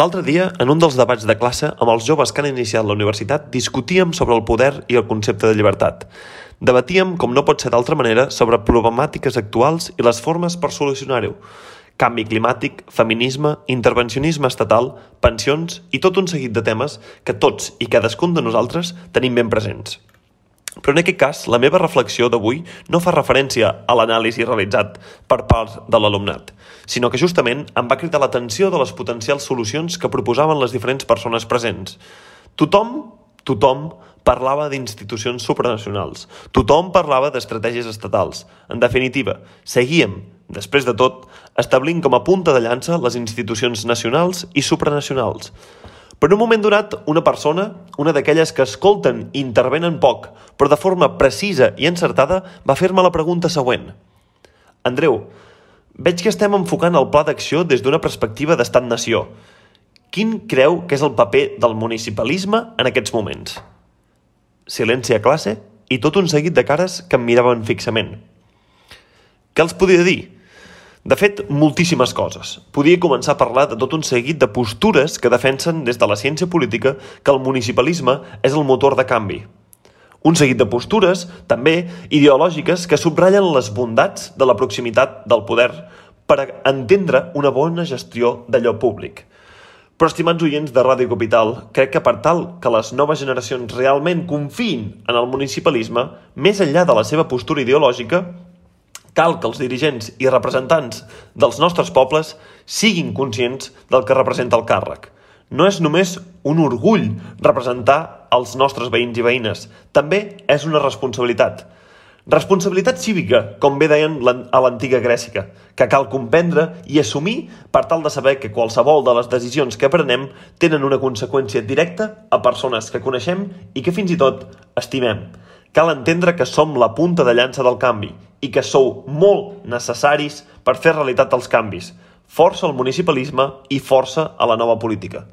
L'altre dia, en un dels debats de classe, amb els joves que han iniciat la universitat, discutíem sobre el poder i el concepte de llibertat. Debatíem, com no pot ser d'altra manera, sobre problemàtiques actuals i les formes per solucionar-ho. Canvi climàtic, feminisme, intervencionisme estatal, pensions i tot un seguit de temes que tots i cadascun de nosaltres tenim ben presents. Però en aquest cas, la meva reflexió d'avui no fa referència a l'anàlisi realitzat per part de l'alumnat, sinó que justament em va cridar l'atenció de les potencials solucions que proposaven les diferents persones presents. Tothom parlava d'institucions supranacionals. Tothom parlava d'estratègies estatals. En definitiva, seguíem, després de tot, establint com a punta de llança les institucions nacionals i supranacionals. Però en un moment donat, una persona, una d'aquelles que escolten i intervenen poc, però de forma precisa i encertada, va fer-me la pregunta següent. Andreu, veig que estem enfocant el pla d'acció des d'una perspectiva d'estat-nació. Quin creu que és el paper del municipalisme en aquests moments? Silenci a classe i tot un seguit de cares que em miraven fixament. Què els podia dir? De fet, moltíssimes coses. Podia començar a parlar de tot un seguit de postures que defensen des de la ciència política que el municipalisme és el motor de canvi. Un seguit de postures, també, ideològiques que subratllen les bondats de la proximitat del poder per entendre una bona gestió d'allò públic. Però, estimats oients de Ràdio Capital, crec que per tal que les noves generacions realment confiïn en el municipalisme, més enllà de la seva postura ideològica, cal que els dirigents i representants dels nostres pobles siguin conscients del que representa el càrrec. No és només un orgull representar els nostres veïns i veïnes, també és una responsabilitat. Responsabilitat cívica, com bé deien a l'antiga Grècia, que cal comprendre i assumir per tal de saber que qualsevol de les decisions que prenem tenen una conseqüència directa a persones que coneixem i que fins i tot estimem. Cal entendre que som la punta de llança del canvi i que sou molt necessaris per fer realitat els canvis. Força al municipalisme i força a la nova política.